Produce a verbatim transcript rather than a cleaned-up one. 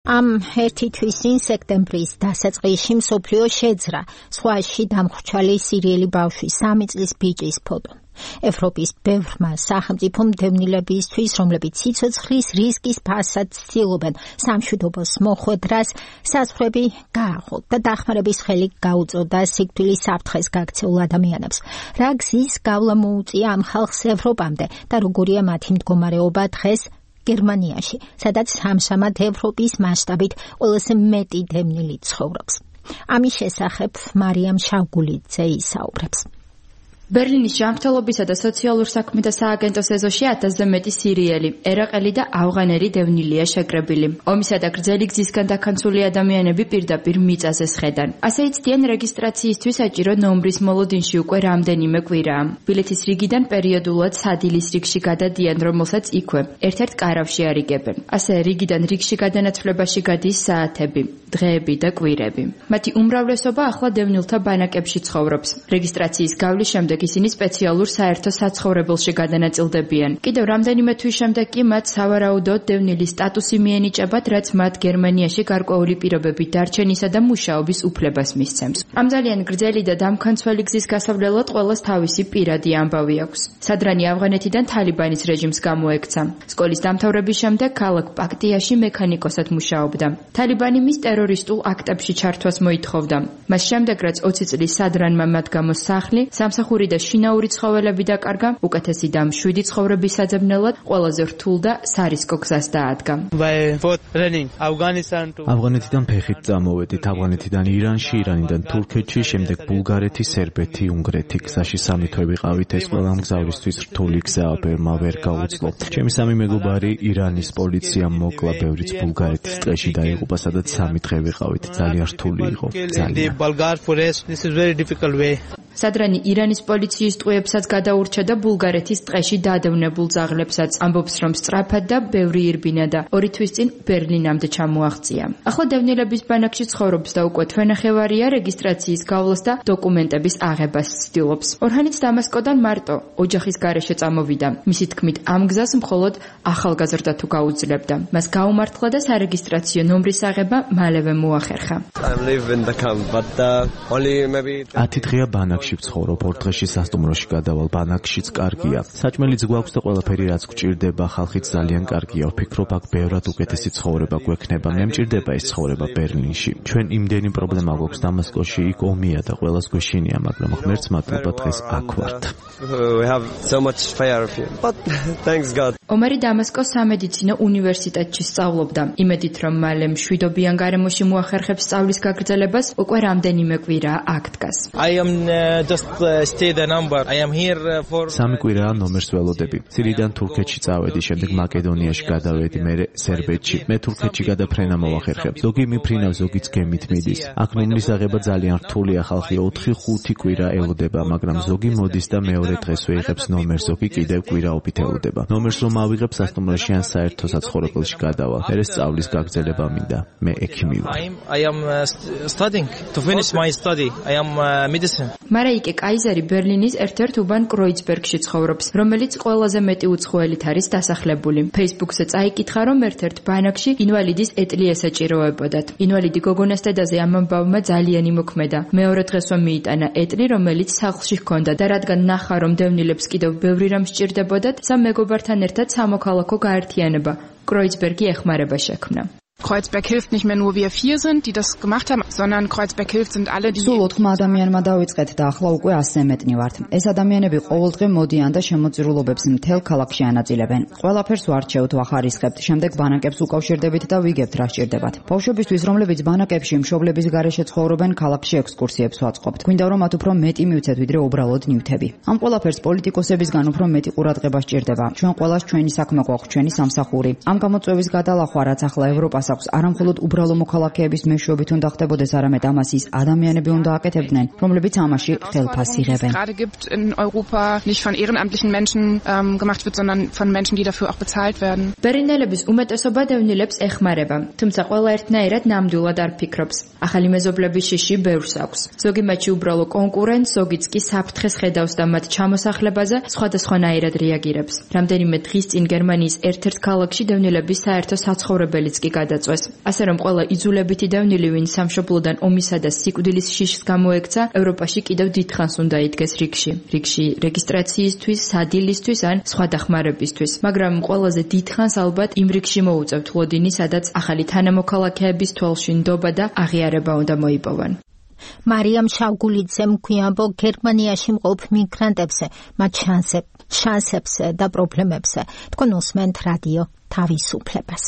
Am ერთი თვის წინ სექტემბრის დასაწყისში მსოფლიო შეძრა სხვაში დამხრჩალი სირიელი ბავშვის სამი წლის ბიჭის ფოტო. ევროპის ბევრმა სახელმწიფომ დევნილებისთვის, რომლებიც სიცოცხლის რისკის ფასად ცდილობენ სამშვიდობოს მოხვედრას, საზღვრები გააღოთ და დახმარების ხელი გაუწოდა სიკვდილის საფრთხეს გაქცეულ ადამიანებს. რა გზის გავლა მოუწია ამ ხალხს ევროპამდე და როგორია მათი მდგომარეობა დღეს გერმანიაში, სადაც ამჟამად ევროპის მასშტაბით ყველაზე მეტი დევნილი ცხოვრობს. ამის შესახებ მარიამ შავგულიძე ისაუბრებს. ბერლინის ჯანმრთელობისა და სოციალურ საქმეთა სააგენტოს ეზოში ათასზე მეტი სირიელი, ერაყელი და ავღანელი დევნილია შეკრებილი. ომისა და გრძელი გზისგან დაქანცული ადამიანები პირდაპირ მიწაზე სხედან. ასე იცდიან რეგისტრაციისთვის საჭირო ნომრის მოლოდინში უკვე რამდენიმე კვირაა. ბილეთის რიგიდან პერიოდულად სადილის რიგში გადადიან, რომელსაც იქვე ერთ-ერთ კარავში არიგებენ. ასე რიგიდან რიგში გადანაცვლებაში გადის საათები, დღეები და კვირები. მათი უმრავლესობა ახლა დევნილთა ბანაკებში ცხოვრობს. რეგისტრაციის გავლის შემდეგ ისინი სპეციალურ საერთო საცხოვრებელში გადანაწილდებიან. კიდევ რამდენიმე თვის შემდეგ კი მათ სავარაუდოდ დევნილის სტატუსი მიენიჭებათ, რაც მათ გერმანიაში გარკვეული პირობებით დარჩენისა და მუშაობის უფლებას მისცემს. ამ ძალიან გრძელი და დამქანცველი გზის გასავლელად ყველას თავისი პირადი ამბავი აქვს. სადრანი ავღანეთიდან თალიბანის რეჟიმს გამოექცა. სკოლის დამთავრების შემდეგ ქალაქ პაქტიაში მექანიკოსად მუშაობდა. თალიბანი მის ტერორისტულ აქტებში ჩართვას მოითხოვდა. მას შემდეგ, რაც ოცი წლის სადრანმა მათ გამოს სახლი, სამსახური და შინაური ცხოველები დაკარგა, უკეთესი და მშვიდი ცხოვრების საძებნელად ყველაზე რთულ და სარისკო გზას დაადგა. ავღანეთიდან ფეხით წამოვედით, ავღანეთიდან ირანში, ირანიდან თურქეთში, შემდეგ ბულგარეთი, სერბეთი, უნგრეთი. გზაში სამი თვე ვიყავით, ეს ყველა მგზავრისთვის რთული გზაა, ბევრმა ვერ გაუძლო. ჩემი სამი მეგობარი ირანის პოლიციამ მოკლა, ბევრიც ბულგარეთის ტყეში დაიღუპა, სადაც სამი დღე ვიყავით. ძალიან რთული იყო. სადრანი ირანის პოლიციის ტყვეებსაც გადაურჩა და ბულგარეთის ტყეში დადევნებულ ძაღლებსაც. ამბობს, რომ სწრაფად და ბევრი ირბინა და ორი თვის წინ ბერლინამდე ჩამოაღწია. ახლა დევნილების ბანაკში ცხოვრობს და უკვე თვენახევარია რეგისტრაციის გავლას და დოკუმენტების აღებას ცდილობს. ორჰანიც დამასკოდან მარტო ოჯახის გარეშე წამოვიდა. მისი თქმით, ამ გზას მხოლოდ ახალგაზრდა თუ გაუძლებდა. მას გაუმართლა და სარეგისტრაციო ნომრის აღება მალევე მოახერხა. ათი დღეა ბანაკში ვცხოვრობ, ორ დღეში სასტუმროში გადავალ, ბანაკშიც კარგია. საჭმელიც გვაქვს და ყველაფერი რაც გვჭირდება, ხალხიც ძალიან კარგია. ვფიქრობ, აქ ბევრად უკეთესი ცხოვრება გვექნება. მე მჭირდება ეს ცხოვრება ბერლინში. ჩვენ იმდენი პრობლემა გვაქვს დამასკოში, იქ ომია და ყველას გვეშინია, მაგრამ ღმერთს მადლობა დღეს აქ ვართ. ომარი დამასკოს სამედიცინო უნივერსიტეტში სწავლობდა. იმედით, რომ მალე მშვიდობიან გარემოში მოახერხებს სწავლის გაგრძელებას, უკვე რამდენიმე კვირაა აქ დგას. სამი კვირაა ნომერს ველოდები. სირიიდან თურქეთში წავედი, შემდეგ მაკედონიაში გადავედი, მერე სერბეთში. მე თურქეთში გადაფრენა მოვახერხებ. ზოგი მიფრინავს, ზოგიც გემით მიდის. აქ ნომრის აღება ძალიან რთულია, ხალხი ოთხი ხუთი კვირა ელოდება, მაგრამ ზოგი მოდის და მეორე დღესვე იღებს ნომერს, ზოგი კიდევ კვირაობით ელოდება. ნომერს რომ ავიღებ, სასტუმროში ან საერთო საცხოვრებელში გადავალ. მერე სწავლის გაგრძელება მინდა. მე ექიმი ვარ. მარაიკე კაიზერი ბერლინის ერთ-ერთ უბან კროიცბერგში ცხოვრობს, რომელიც ყველაზე მეტი უცხოელით არის დასახლებული. Facebook-ზე წაიკითხა, რომ ერთ-ერთ ბანაკში ინვალიდის ეტლი ესაჭიროებოდათ. ინვალიდი გოგონას დედაზე ამ ამბავმა ძალიან იმოქმედა. მეორე დღესვე მიიტანა ეტლი, რომელიც სახლში ჰქონდა და რადგან ნახა, რომ დევნილებს კიდევ ბევრი რამ სჭირდებოდათ, სამ მეგობართან ერთად სამოქალაქო გაერთიანება კროიცბერგი ეხმარება შექმნა. Kreuzberg hilft nicht mehr nur wir vier sind, die das gemacht haben, sondern Kreuzberg hilft sind alle die. სულ ოთხმა ადამიანმა დავიწყეთ და ახლა უკვე ასზე მეტნი ვართ. ეს ადამიანები ყოველდღე მოდიან და შემოწირულობებს მთელ ქალაქში ანაწილებენ. ყველაფერს ვარჩევთ, ვახარისხებთ, შემდეგ ბანაკებს უკავშირდებით და ვიგებთ რა სჭირდებათ. ბავშვებისთვის, რომლებიც ბანაკებში მშობლების გარეშე ცხოვრობენ, ქალაქში ექსკურსიებს ვაწყობთ. გვინდა რომ მათ უფრო მეტი მივცეთ, ვიდრე უბრალოდ ნივთები. ამ ყველაფერს პოლიტიკოსებისგან უფრო მეტი ყურადღება სჭირდება. ჩვენ ყველას ჩვენი საქმე გვაქვს, ჩვენი სამსახური. ამ გამოწვევის გადალახვა, რაც ახლა ევროპას არა მხოლოდ უბრალო მოქალაქეების მეშვეობით უნდა ხდებოდეს, არამედ ამას ის ადამიანები უნდა აკეთებდნენ, რომლებიც ამაში ხელფას იღებენ. Gerade gibt in Europa nicht von ehrenamtlichen Menschen ähm, gemacht wird, sondern von Menschen, die dafür auch bezahlt werden. ბერლინელების უმეტესობა დევნილებს ეხმარება, თუმცა ყველა ერთნაირად ნამდვილად არ ფიქრობს. ახალი მეზობლების შიში ბევრს აქვს. ზოგი მათში უბრალო კონკურენტს, ზოგიც კი საფრთხეს ხედავს და მათ ჩამოსახლებაზე სხვადასხვანაირად რეაგირებს. რამდენიმე დღის წინ გერმანიის ერთ-ერთ ქალაქში დევნილების საერთო საცხოვრებელიც კი გადა გადაწვეს. ასე რომ ყველა იძულებითი დევნილი, ვინ სამშობლოდან ომისა და სიკვდილის შიშს გამოექცა, ევროპაში კიდევ დიდხანს უნდა იდგეს რიგში. რიგში რეგისტრაციისთვის, სადილისთვის ან სხვა დახმარებისთვის. მაგრამ ყველაზე დიდხანს ალბათ იმ რიგში მოუწევთ ლოდინი, სადაც ახალი თანამოქალაქეების თვალში ნდობა და აღიარება უნდა მოიპოვან. მარიამ შავგულიძემ გვიანბო გერმანიაში მყოფ მიგრანტებზე, მათ შანსებს, შანსებს და პრობლემებზე. თქვენ უსმენთ რადიო თავისუფლებას.